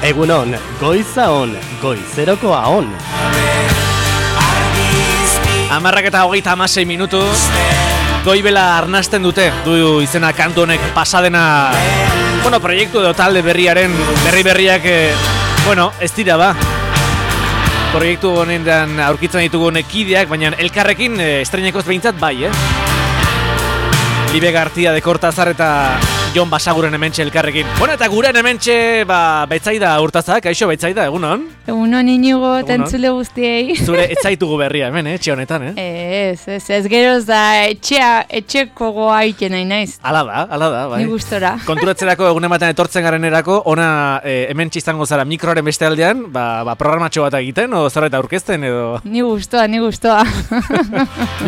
Egunon, goiza on, goizerokoa on. 10:26 minutu. Goibela arnasten dute, du izena kantu honek pasadena, proiektu edo talde berriaren berriak, ez dira ba. Proiektu honetan aurkitzen ditugu kideak, baina elkarrekin estreinakoz behintzat bai, Libe Gartia de Kortazar eta Jon Basaguren hementxe elkarrekin. Eta guren hementxe, Betsaida Urtazak, kaixo Betsaida, egunon? Egunon Inigo, tentzule guztiei. Zure etzaitugu berria hemen, etxe honetan, Ez geroz da etxeko goa iten nahi naiz. Ala da, bai. Ni gustora. Konturatzerako egunen batean etortzen garenerako, ona hementxe izango zara mikroaren beste aldean, programatxo bat egiten, o zerbait aurkezten edo... Ni gustoa.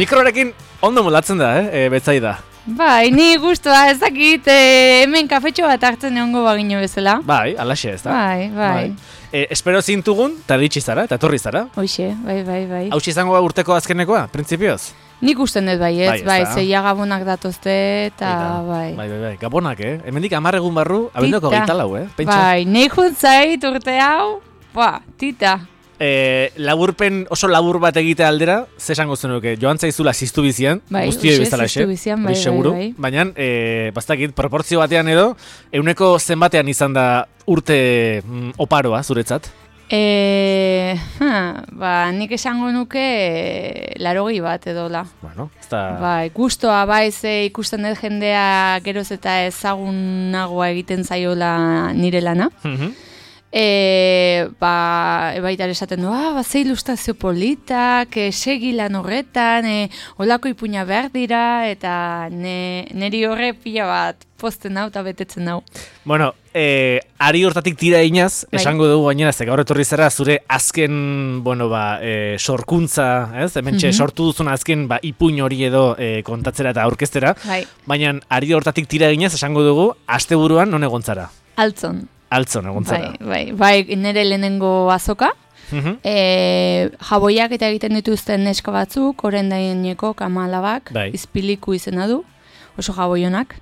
Mikroarekin ondo moldatzen da, Betsaida. Bai, ni gustoa, ez dakit, hemen kafetxo bat hartzen egongo bagino bezala. Bai, alaxe ez da. Bai. Espero zintugun, eta ditxi zara, eta torri zara. Hoxe, bai. Hau izango urteko azkenekoa, printzipioz? Nik usten dut bai, zeia gabonak datozte, eta bai. Bai, gabonak, Hemendik 10 egun barru, abendoko 24, Pentsa. Bai, nahi juntzait urte hau, tita. Laburpen oso labur bat egite aldera, ze esango zenuke, joan zaizula ziztu bizian, guztioi bezala bai. Baina, bastakit, proportzio batean edo, euneko zenbatean izan da urte oparoa, zuretzat? Nik esango nuke 80 bat edola. Bai, gustoa, ze ikusten dut jendea geroz eta ezagunagoa egiten zaiola nire lana. Baita esaten du, ze ilustrazio politak, segi lan horretan, olako ipuina behar dira, eta neri horre pila bat posten hau eta betetzen hau. Ari hortatik tira inaz, esango dugu gainera, ze gaur etorri zara zure azken, sorkuntza, hementxe sortu duzun azken ipuin hori edo kontatzera eta aurkeztera, baina ari hortatik tira inaz, esango dugu, asteburuan non egon zara? Altzon egon zara. Bai, nire lehenengo azoka. Jaboiak eta egiten dituzten neska batzuk, oren daineko kamalabak, izpiliku izena du, oso jaboionak.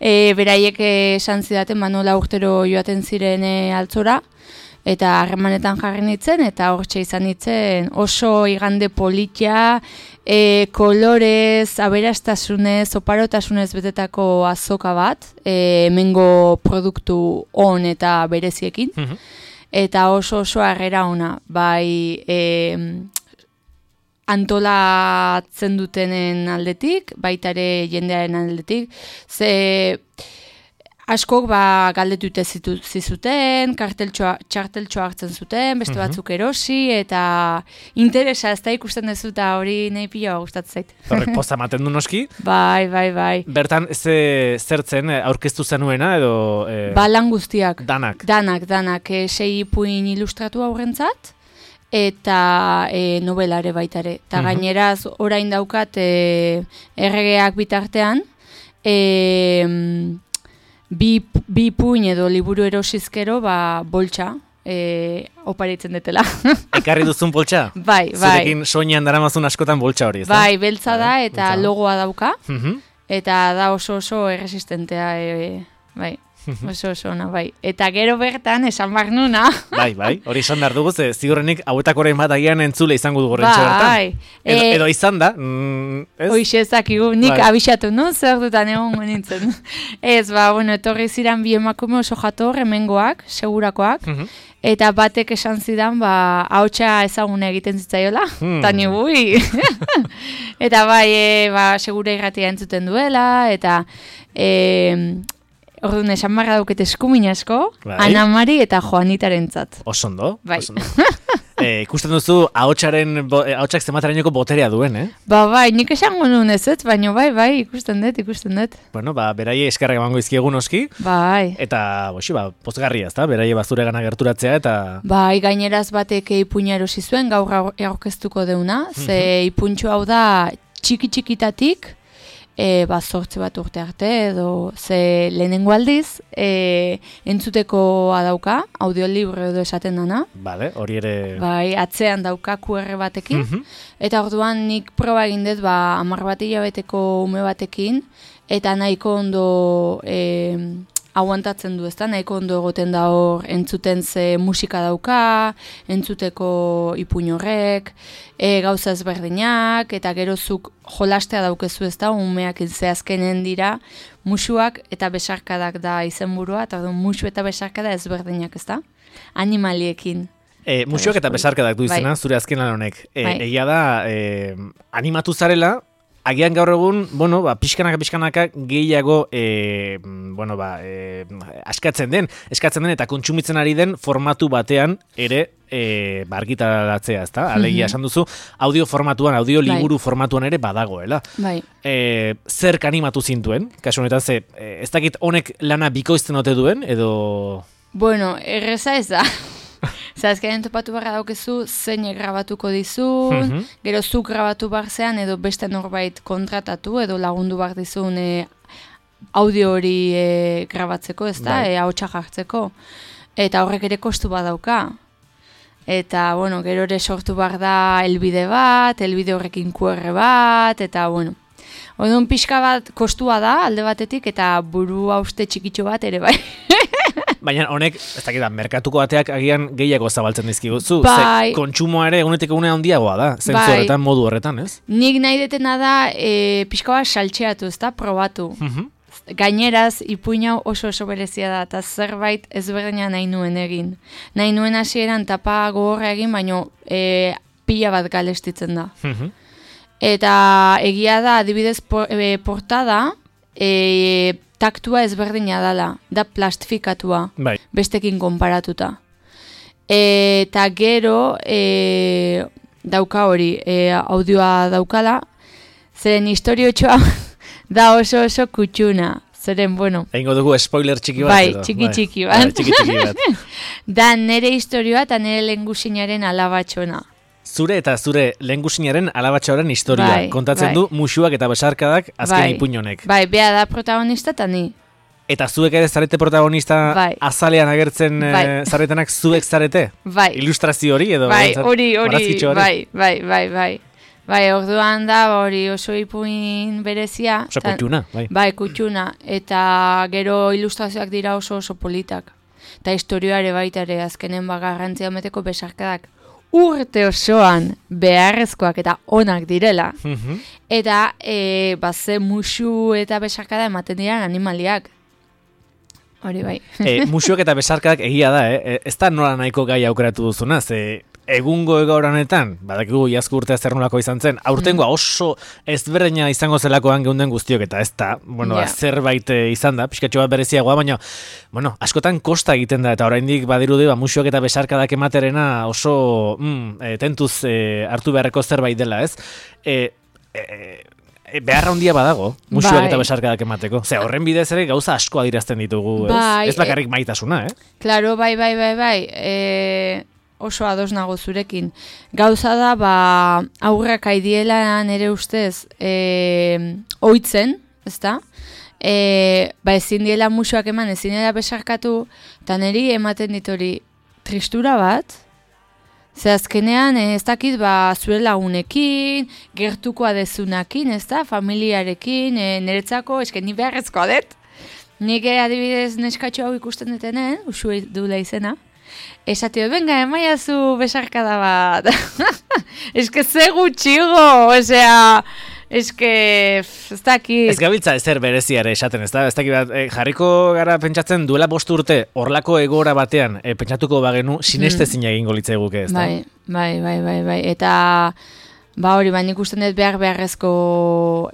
Beraiek esan zidaten, nola urtero joaten ziren altzora, eta harremanetan jarri nintzen, eta hortxe izan nintzen oso igande politia, kolorez, aberastasunez, oparotasunez betetako azoka bat, hemengo produktu on eta bereziekin, eta oso harrera ona, bai antolatzen dutenen aldetik, baita ere jendearen aldetik, ze... Askok galdetute zizuten, txarteltxoa hartzen zuten, beste batzuk erosi, eta interesa ez da ikusten dezu, eta hori nahi pila gustatzen zait. Horrek posta ematen du noski? Bai. Bertan, zertzen aurkeztu zenuena, edo... Lan guztiak. Danak. Danak, 6 ipuin ilustratu aurrentzat, eta novelare baitare. Eta gaineraz, orain daukat, erregeak bitartean, bi puin edo liburu erosizkero, boltsa, oparitzen detela. Ekarri duzun boltsa? Bai. Zurekin soinean daramazun askotan boltsa hori, ez da? Bai, beltza da eta logoa dauka, eta da oso erresistentea, bai. Oso ona, bai. Eta gero bertan, esan behar nuna. Bai, hori esan behar dugu, ziurrenik hauetak orain bat agian entzule izango dugu horrentxe bertan. Edo izan da, ez? Hoxe ezakigu, nik abixatu, zer dutan egon nintzen. Ez, etorri ziren bi emakume oso jator, hemengoak, segurakoak, eta batek esan zidan, hautsa ezaguna egiten zitzaiola, eta nibui. Eta segura irratia entzuten duela, eta... Orduan, esan barra dauket eskumin asko, Ana Mari eta Joanitaren zat. Osondo. Bai. Ikusten duzu, ahotsak zematarainoko boterea duen, Bai, nik esango nuen ez, baina bai, ikusten dut. Beraie eskerrak emango izkiegu noski. Bai. Eta, pozgarria, ez da, beraie bazure gana gerturatzea, eta... Bai, gaineraz batek ipuina erosi zuen, gaur aurkeztuko deuna, ze ipuntxo hau da txikitatik, zortze bat urte arte, edo ze lehenengo aldiz, entzutekoa dauka, audiolibro edo esaten dana. Bale, hori ere... Bai, atzean dauka QR batekin, eta orduan nik proba egin dut, 10 bat hilabeteko ume batekin, eta nahiko ondo aguantatzen du, ezta? Nahiko ondo egoten da hor entzuten ze musika dauka, entzuteko ipuin horrek, gauza ezberdinak, eta gerozuk jolastea daukezu, ezta? Umeak azkenen dira musuak eta besarkadak da izenburua, eta musu eta besarkada ezberdinak, ezta? Animaliekin. Musuak eta besarkadak du izena, zure azken lan honek. Egia da, animatu zarela, agian gaur egun, pixkanaka gehiago, eskatzen den eta kontsumitzen ari den formatu batean ere argitaratzea, ezta? Alegia esan duzu, audio formatuan, audio liburu formatuan ere badagoela. Bai. Zerk animatu zintuen? Kasu honetan, ez dakit honek lana bikoizten ote duen, edo... Bueno, erreza ez da. Azkenean topatu barra daukezu zein grabatuko dizun, gero zuk grabatu barzean edo beste norbait kontratatu edo lagundu bar dizun audio hori grabatzeko, ez da, ahotsa jartzeko. Eta horrek ere kostu badauka. Eta, gero ere sortu bar da helbide bat, helbide horrekin QR bat, eta, Odun pixka bat kostua da alde batetik eta buru hauste txikitxo bat ere bai. Baina honek, ez dakit da, merkatuko bateak agian gehiago zabaltzen dizkiguzu. Bai. Kontsumoa ere egunetik egunea handiagoa da, zentzu horretan, modu horretan, ez? Nik nahi detena da pixka bat saltxeatu, ez da, probatu. Gaineraz, ipuin hau oso berezia da, eta zerbait ezberdina nahi nuen egin. Nahi nuen hasieran tapa gogorra egin, baina pila bat galestitzen da. Eta egia da, adibidez portada, taktua ezberdina dela, da plastifikatua, bestekin konparatuta. Eta gero dauka hori, audioa daukala, zeren historiotxoa da oso kutxuna. Zeren, Eingo dugu spoiler txiki bat. Bai, txiki bat. Da nere historioa eta nere lehengusinaren alabatxona. Zure eta zure lehengusinaren alabatxoaren historia. Kontatzen du musuak eta besarkadak azken ipuin honek. Bai, bea da protagonista eta ni. Eta zuek ere zarete protagonista azalean agertzen zaretenak zuek zarete? Bai. Ilustrazio hori edo? Bai, hori, bai. Bai, orduan da hori oso ipuin berezia. Oso kutxuna, bai. Bai, kutxuna. Eta gero ilustrazioak dira oso politak. Eta historioare baita ere azkenen garrantzia meteko besarkadak urte osoan beharrezkoak eta onak direla. Eta ze musu eta besarkada ematen dira animaliak. Hori bai. Musuak eta besarkadak egia da, ez da nola nahiko gai aukeratu duzuna, egungo egaur honetan, badakigu iazko urtea zer nolako izan zen, aurtengoa oso ezberdina izango zelakoan geunden guztiok, eta ez da, zerbait izan da, pixkatxo bat bereziagoa, baina, askotan kosta egiten da, eta oraindik badirudi, musuak eta besarkadak ematerena oso tentuz hartu beharreko zerbait dela, ez? Beharra handia badago, musuak eta besarkadak emateko. Horren bidez ere gauza asko adirazten ditugu, ez bakarrik maitasuna, Claro, bai. Oso ados nago zurekin. Gauza da, aurrak aidiela nere ustez oitzen, ezta? Ezin diela musuak eman, ezin diela besarkatu, eta niri ematen ditori tristura bat, ze azkenean ez dakit zure lagunekin, gertukoa dezunakin, ezta? Familiarekin, niretzako, esken ni beharrezkoa dut. Nik adibidez neskatxo hau ikusten detenen, usue duela izena, esatio, venga, emaiazu besarkada bat. Eske ze gutxigo, eske, ez dakit. Ez gabiltza ezer bereziare esaten, ez dakit, jarriko gara pentsatzen duela 5 urte, horlako egora batean, pentsatuko bagenu, sinestezina egingo litzaiguke, ez da? Bai. Eta, hori, nik usten dut beharrezko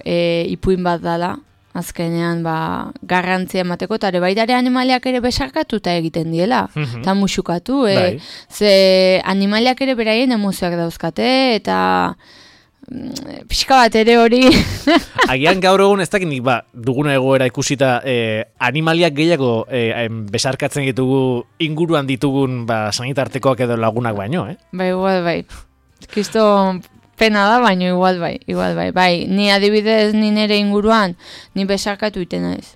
ipuin bat dala. Azkenean, garrantzia emateko, eta baita ere animaliak ere besarkatuta egiten diela, eta musukatu, ze animaliak ere beraien emozioak dauzkate, eta pixka bat ere hori. Agian gaur egun ez dakit duguna egoera ikusita animaliak gehiago besarkatzen ditugu inguruan ditugun sanitartekoak edo lagunak baino, Bai. Kisto pena da, baina igual bai. Ni adibidez ni nere inguruan, ni besarkatu iten naiz.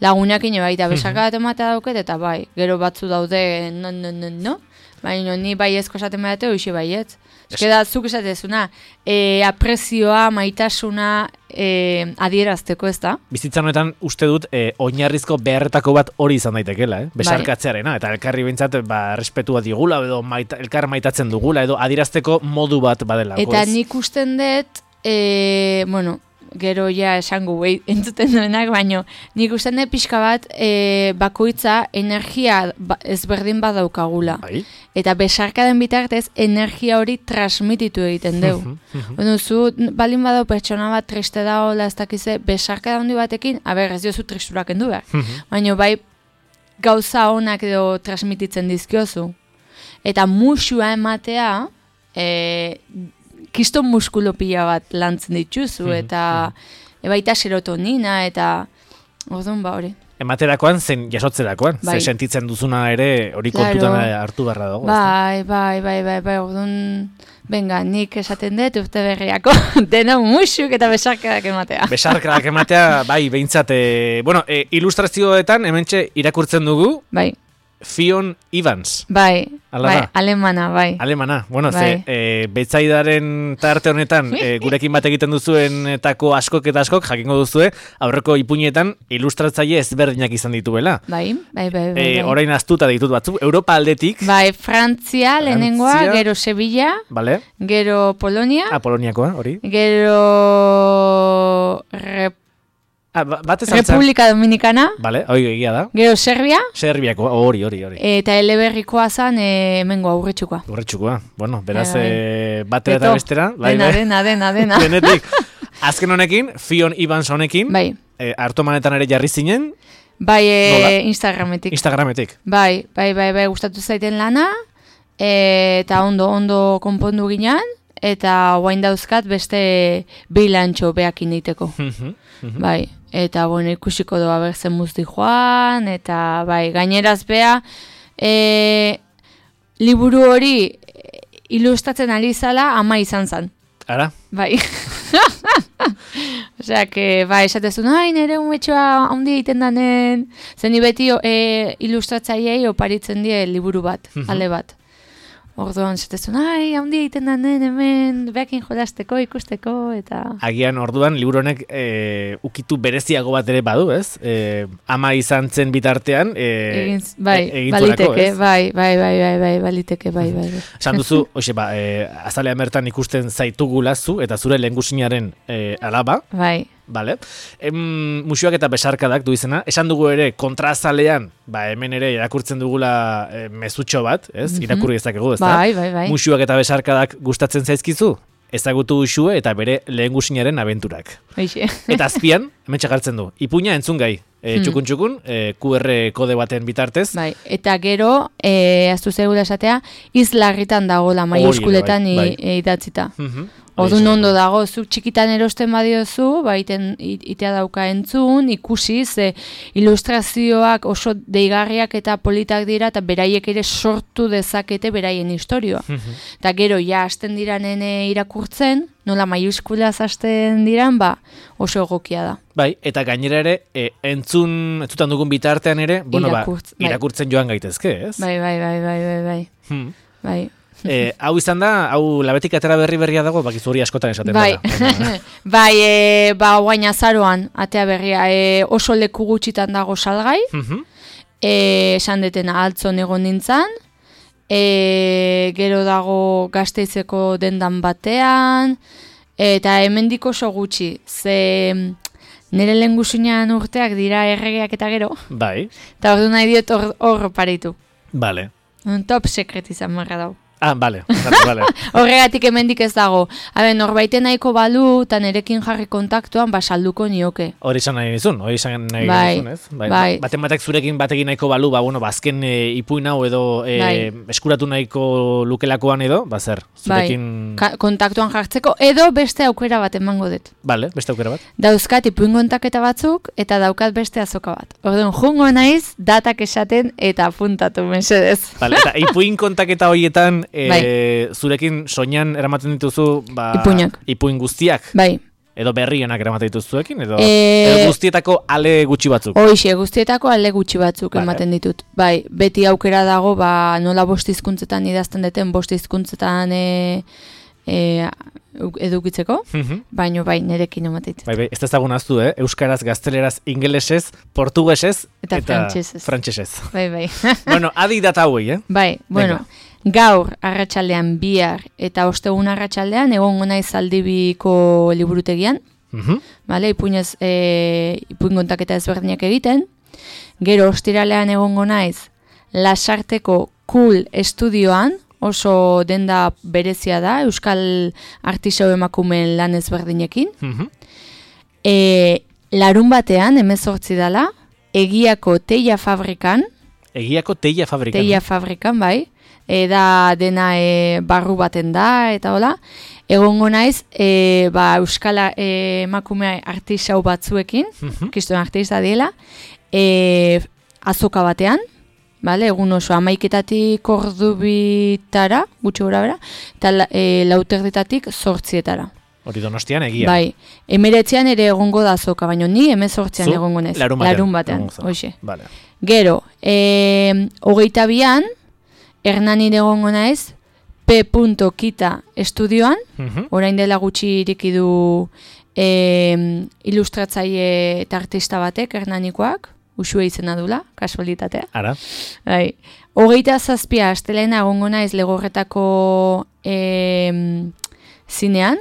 lagunak ine baita besarka bat ematea dauket, eta bai, gero batzu daude, no, baina ni bai ezko esaten behate, hoxe baietz. Eskeda, zuk esatezuna, aprezioa, maitasuna adierazteko, ez da? Bizitzan honetan uste dut oinarrizko beharretako bat hori izan daitekela, besarkatzearena, eta elkarri bintzat respetua digula, edo elkar maitatzen dugula, edo adierazteko modu bat badelako. Eta nik usten dut, gero ja esango entzuten duenak, baino nik usten dut pixka bat bakoitza energia ezberdin badaukagula. Bai. Eta besarkaden bitartez energia hori transmititu egiten dugu. Zu balin badau pertsona bat triste dagoela ez dakize, besarkada handi batekin, ez diozu tristurak endu behar. Baina bai gauza honak edo transmititzen dizkiozu. Eta musua ematea, kiston muskulo pila bat lantzen dituzu, eta baita serotonina, eta orduan hori. Ematerakoan, zen jasotzerakoan, ze sentitzen duzuna ere hori kontutan hartu beharra dago. Bai, orduan, venga, nik esaten dut urte berriako, deno musuk eta besarkadak ematea. Besarkadak ematea, bai, behintzat, ilustrazioetan, hementxe irakurtzen dugu, bai. Fionn Evans. Bai, alemana, bai. Alemana, betzaidaren tarte honetan gurekin bat egiten duzuen etako askok eta askok, jakingo duzue, aurreko ipuinetan ilustratzaile ezberdinak izan dituela. Bai. Orain aztuta ditut batzu, Europa aldetik. Bai, Frantzia, lehenengoa, gero Sevilla, vale. Gero Polonia. Poloniakoa, hori. Gero República Dominicana. Vale, egia da. Gero Serbia. Serbiako, hori. Eta eleberrikoa zan, hemengo Urretxukoa. Beraz, batera eta bestera. Dena. Denetik. Azken honekin, Fionn Evans honekin, bai. Hartomanetan ere jarri zinen. Bai, Instagrametik. Bai, gustatu zaiten lana, eta ondo konpondu ginean, eta guain dauzkat beste bilantxo behakin diteko. Bai, eta ikusiko doa berzen muzti joan, eta bai, gaineraz beha, liburu hori ilustratzen ari zala ama izan zan. Ara? Bai. Osea, esatezun, nire umetxoa handi egiten danen, zen beti ilustratzaileei oparitzen die liburu bat, ale bat. Orduan, zetezun, handi egiten danen hemen, behakin jolasteko, ikusteko, eta... Agian, orduan, liburu honek ukitu bereziago bat ere badu, ez? Ama izan zen bitartean, baliteke, baliteke, bai. Esan duzu, azalean bertan ikusten zaitugula zu, eta zure lehengusinaren alaba. Bai. Vale. Musuak eta besarkadak du izena. Esan dugu ere kontraazalean, hemen ere irakurtzen dugula mezutxo bat, ez? Irakurri ezakegu, ez da? Bai. Musuak eta besarkadak gustatzen zaizkizu? Ezagutu usue eta bere lehengusinaren abenturak. Eta azpian, hemen txagartzen du. Ipuina entzun gai. Txukun, QR kode baten bitartez. Bai, eta gero, aztu zegula esatea, izlarritan dagoela maiuskuletan idatzita. Orduan ondo dago, zuk txikitan erosten badiozu, itea dauka entzun, ikusi, ze ilustrazioak oso deigarriak eta politak dira, eta beraiek ere sortu dezakete beraien historioa. Eta gero, hasten diranen irakurtzen, nola maiuskulaz hasten diran, oso egokia da. Bai, eta gainera ere, entzutan dugun bitartean ere, irakurtzen joan gaitezke, ez? Bai. Hau izan da, hau labetik atera berria dago, bakizu hori askotan esaten dara. Guain azaroan, atea berria, oso leku gutxitan dago salgai, esan detena altzon egon nintzen, gero dago Gasteizeko dendan batean, eta hemendik oso gutxi, ze nire lehengusinean urteak dira erregeak eta gero, eta ordu nahi diot hor paritu. Vale. Top secret izan marra dau. Vale. Horregatik hemendik ez dago. Norbaiten nahiko balu, eta nerekin jarri kontaktuan, salduko nioke. Hori izan nahi nizun, ez? Baten batek zurekin batekin nahiko balu, azken ipuin hau edo eskuratu nahiko lukelakoan edo, zer, zurekin... Kontaktuan jartzeko, edo beste aukera bat emango dut. Vale, beste aukera bat. Dauzkat ipuin kontaketa batzuk, eta daukat beste azoka bat. Orduan, jungo naiz, datak esaten, eta apuntatu, mesedez. Vale, eta ipuin kontaketa horietan, zurekin soinan eramaten dituzu ipuin guztiak. Bai. Edo berrienak eramaten dituzuekin, edo guztietako ale gutxi batzuk? Hoixe, guztietako ale gutxi batzuk ematen ditut. Bai, beti aukera dago, nola 5 hizkuntzetan idazten deten, 5 hizkuntzetan edukitzeko, baino bai, nerekin ematen ditut. Bai, ez ezagun aztu, euskaraz, gazteleraz, ingelesez, portugesez, eta frantsesez. Bai. Bueno, adi data hauei, Bai, bueno, gaur arratsaldean bihar eta ostegun arratsaldean egongo naiz Zaldibiko liburutegian. Vale, ipuin kontaketa ezberdinak egiten. Gero ostiralean egongo naiz Lasarteko Cool Estudioan, oso denda berezia da, euskal artisau emakumeen lan ezberdinekin. Larun batean, 18 dela, Egiako Teia Fabrikan. Egiako Teia Fabrikan? Teia Fabrikan, bai. Da dena barru baten da, eta hola. Egongo naiz, euskal emakume artisau batzuekin, kriston artista diela, azoka batean, vale? Egun oso 11:00 ordubitara, gutxi gora bera, eta 4:00 8:00. Hori Donostian egia. Bai, 19an ere egongo da azoka, baina ni 18an egongo naiz. Larun batean, hoxe. Vale. Gero, 22an, Hernanin egongo naiz, P.Kita estudioan, orain dela gutxi ireki du ilustratzaile eta artista batek, Hernanikoak, Uxue izena dula, kasualitatea. Ara. Bai. 27 astelena egongo naiz Legorretako zinean,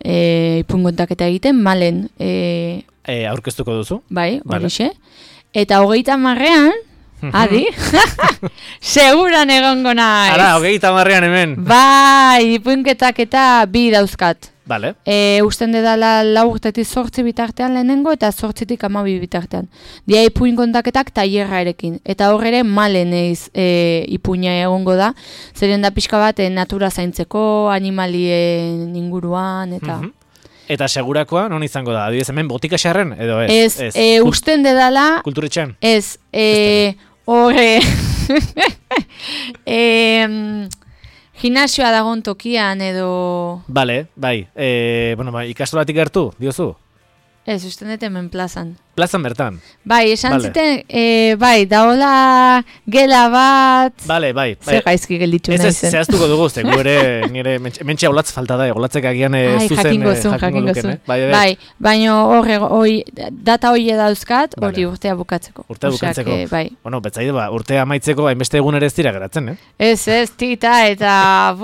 ipuin kontaketa egiten, Malen. Aurkeztuko duzu? Bai, horixe. Eta 30an, adi, seguran egongo naiz. Ara, 30an hemen. Bai, ipuinketak eta 2 dauzkat. Vale. Usten dedala 4-8 bitartean lehenengo eta 8-12 bitartean. Dia ipuin kontaketak tailerrarekin. Eta hor ere Malen ipuina egongo da. Zeren da pixka bat natura zaintzeko, animalien inguruan, eta... Eta segurakoa non izango da? Adibidez hemen botika xarren edo ez? Usten dedala... Kulturetxean? Ez, horre... Gimnasioa dagoen tokian edo... Bale, bai. Ikastolatik gertu, diozu? Ez, usten dut hemen plazan. Plazan bertan? Bai, esan ziten, bai, daola gela bat... Bai. Zer gaizki gelditu nahi zen. Ez zehaztuko dugu, zen ere, nire, mentxe aulatz falta da, aulatzek agian zuzen jakingo luken, Bai, baina hori, data hori dauzkat, hori urtea bukatzeko. Urtea bukatzeko. Bai. Bueno, betzaide urtea amaitzeko, hainbeste egun ere ez dira geratzen, Ez, tita, eta,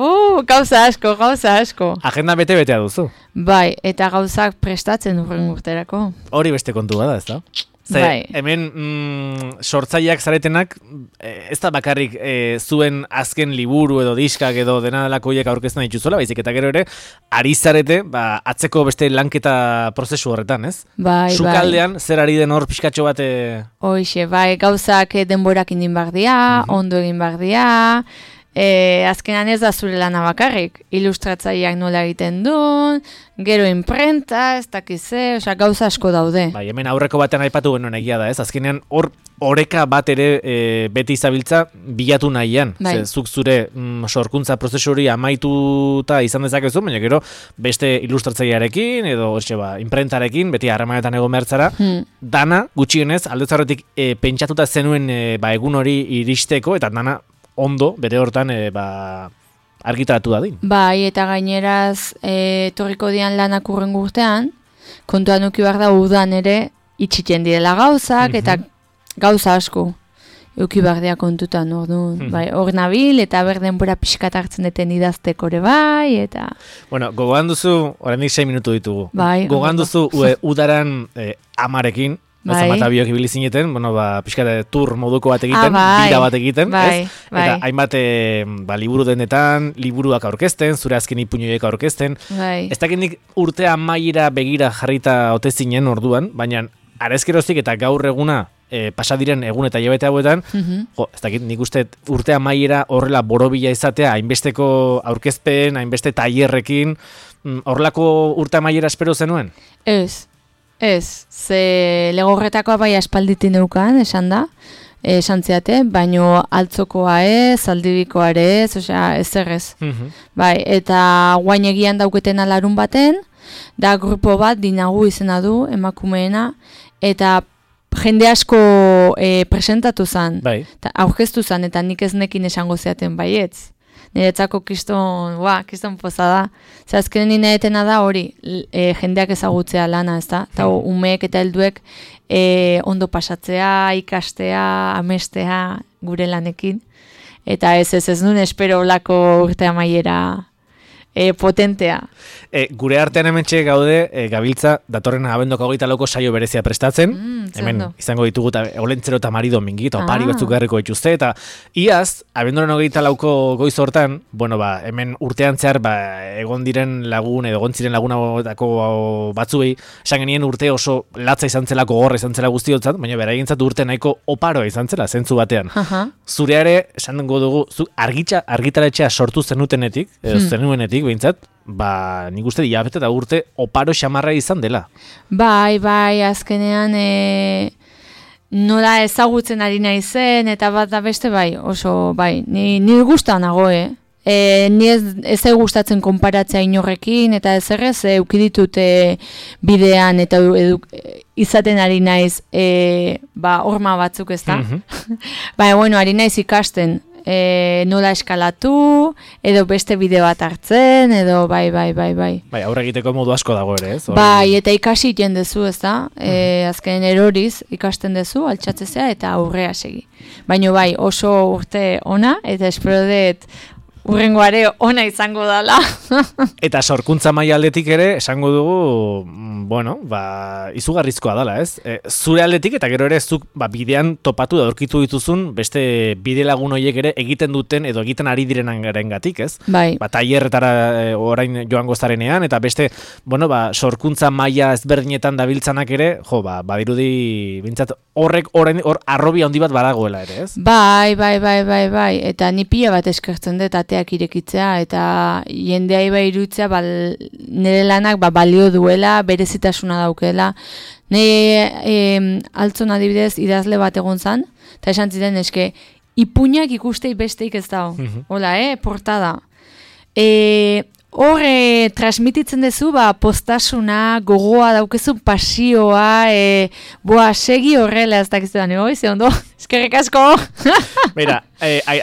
gauza asko. Agenda bete-betea duzu. Bai, eta gauzak prestatzen urren urterako. Hori beste kontua da, ez da? Bai. Hemen sortzaileak zaretenak, ez da bakarrik zuen azken liburu edo diskak edo dena delako hiek aurkezten dituzuela, baizik eta gero ere, ari zarete, atzeko beste lanketa prozesu horretan, ez? Bai. Sukaldean, zer ari den hor pixkatxo bat... Hoixe, bai, gauzak denborak indin bardia, ondo egin bardia... azkenan ez da zure lana bakarrik, ilustratzaileak nola egiten duen, gero imprenta, ez dakize, gauza asko daude. Bai, hemen aurreko batean aipatu genuen egia da, ez? Azkenean oreka bat ere beti izabiltza bilatu nahian. Bai. Zuk zure sorkuntza prozesu hori amaituta izan dezakezu, baina gero beste ilustratzailearekin edo imprentarekin, beti harremanetan egon bertzara, dana gutxienez aldetzarretik pentsatuta zenuen egun hori iristeko, eta dana ondo, bere hortan, argitaratu dadin. Bai, eta gaineraz, torriko dian lanak urrengo urtean, kontuan uki behar da udan ere, itxiten direla gauzak, eta gauza asko, uki behar dira kontutan, orduan. Bai, hor nabil, eta berdenbora pixkat hartzen deten idazteko ere bai, eta... Bueno, gogoan duzu, oraindik 6 minutu ditugu. Bai. Gogoan duzu, udaran amarekin, Zamata biok ibili zineten, pixkate tur moduko bat egiten, bira bat egiten, ez? Eta hainbat liburu denetan, liburuak aurkezten, zure azken ipuñoiek aurkezten. Ez dakindik urtea amaiera begira jarrita ote zinen orduan, baina arezkeroztik eta gaur eguna pasadiren egun eta hilabete hauetan, ez dakit nik uste urtea amaiera horrela borobila izatea, hainbesteko aurkezpen, hainbeste tailerrekin, horrelako urtea amaiera espero zenuen? Ez, ze Legorretakoa bai aspalditin neukan, esan da, esan ziate, baino altzokoa ez, Zaldibikoa ere ez, osea, ez errez. Bai, eta guain egian dauketena larun baten, da grupo bat, Dinagu izena du, emakumeena, eta jende asko presentatu zen, aurkeztu zen, eta nik ez nekin esango zeaten baietz. Niretzako kiston poza da. Azkenen ninaetena da hori, jendeak ezagutzea lana, ez da? Eta umeek eta helduek ondo pasatzea, ikastea, amestea gure lanekin. Eta ez nuen espero olako urte amaiera potentea. Gure artean hementxe gaude, gabiltza, datorren abendoko 24ko saio berezia prestatzen. Hemen izango ditugu Olentzero eta Mari Domingi, eta opari batzuk garriko dituzte, eta iaz, abenduaren 24ko goiz hortan, hemen urtean zehar, egon diren lagun, edo egon ziren lagunatako batzuei, esan genien urte oso latza izan zelako, gorra izan zela guztiotzat, baina beragintzat urte nahiko oparoa izan zela, zentzu batean. Zureare, esan dugu, argitaletxea sortu zenutenetik, edo zenuenetik, behintzat, nik uste diabete eta urte oparo xamarra izan dela. Bai, azkenean nola ezagutzen ari naizen, eta bat da beste oso, ni guztan nago, ni ez gustatzen konparatzea inorrekin, eta ez errez, eukiditut bidean, eta izaten ari naiz, horma batzuk ez da. Ari naiz ikasten, nola eskalatu, edo beste bideo bat hartzen, edo bai. Aurre egiteko modu asko dago ere, ez? Eta ikasi iten dezu, ez da? Azken eroriz ikasten dezu, altxatzezea, eta aurrea segi. Baina oso urte ona, eta espero dut urrengoare ona izango dela. Eta sorkuntza maila aldetik ere, esango dugu, izugarrizkoa dela, ez? Zure aldetik eta gero ere zuk bidean topatu da aurkitu dituzun beste bide lagun horiek ere egiten duten edo egiten ari direnengatik, ez? Tailerretara orain joango zarenean eta beste, sorkuntza maila ezberdinetan dabiltzanak ere, badirudi bintzat hor arrobia handi bat badagoela ere, ez? Bai, eta ni pila bat eskertzen dut ateak irekitzea, eta jendea irutzea nire lanak balio duela, berezitasuna daukela. Nire altzon adibidez idazle bat egon zan, eta esan ziren eske, ipuñak ikustei besteik ez dago. Hola, portada. Hor transmititzen dezu, postasuna, gogoa daukezu, pasioa, segi horrela ez dakiztean, ze ondo, eskerrik asko. Beira,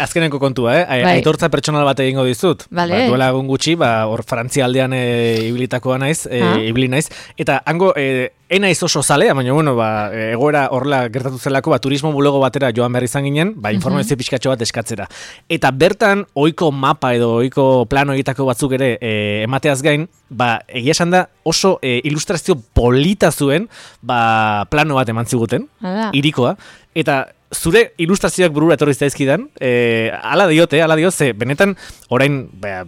azkenenko kontua, aitortza pertsonal bat egingo dizut. Duela egun gutxi, hor Frantzia aldean ibilitakoa naiz, ibili naiz, eta hango, enaiz oso zalea, baina, egoera horrela gertatu zelako, turismo bulego batera joan behar izan ginen, informazio pixkatxo bat eskatzera. Eta bertan, ohiko mapa edo ohiko plano egitako batzuk ere emateaz gain, egia esan da oso ilustrazio polita zuen, plano bat eman ziguten, irikoa, eta zure ilustrazioak burura etorri zaizkidan, ala diote, benetan, orain,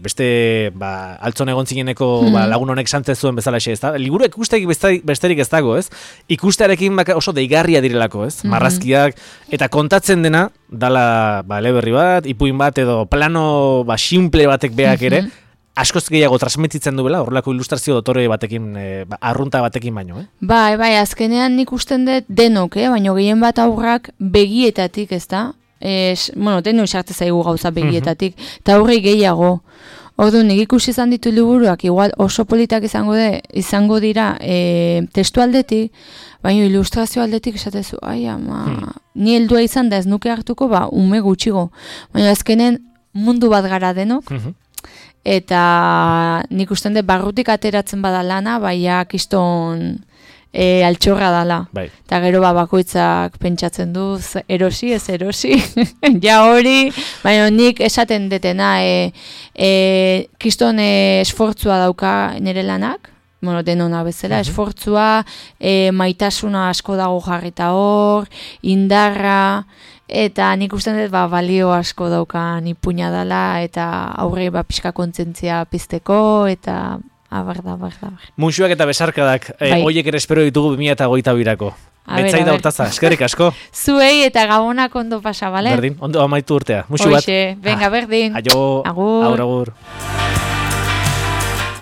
beste, altzon egon zineneko lagun honek santzen zuen bezala ez da, liburu ikustegi besterik ez dago, ez? Ikustearekin oso deigarria direlako, ez? Marrazkiak, eta kontatzen dena, dala, eleberri bat, ipuin bat, edo plano, simple batek beak ere, askoz gehiago transmititzen duela, horrelako ilustrazio dotore batekin, arrunta batekin baino, Bai, azkenean nik usten dut denok, baina gehien bat aurrak begietatik, ez da? Deno esarte zaigu gauza begietatik, eta aurrei gehiago. Ordu, nik ikusi izan ditu liburuak, igual oso politak izango dira testu aldetik, baina ilustrazio aldetik esatezu, ni heldua izan da ez nuke hartuko, ume gutxigo. Baina azkenen mundu bat gara denok, eta nik usten dut barrutik ateratzen bada lana, kiston altxorra dala. Eta gero bakoitzak pentsatzen du, erosi, ez erosi, ja hori, baina nik esaten detena, kiston esfortzua dauka nire lanak, denona bezala, esfortzua, maitasuna asko dago jarrita hor, indarra, eta nik usten dut balio asko daukan ipuña dela, eta aurre pixka kontzentzia pizteko, eta abar. Musuak eta besarkadak, hoiek ere espero ditugu 2022ko. Betzaida hortaza, eskerrik asko. Zuei eta gabonak ondo pasa, bale? Berdin, ondo amaitu urtea. Musu bat. Venga, berdin. Aio, agur.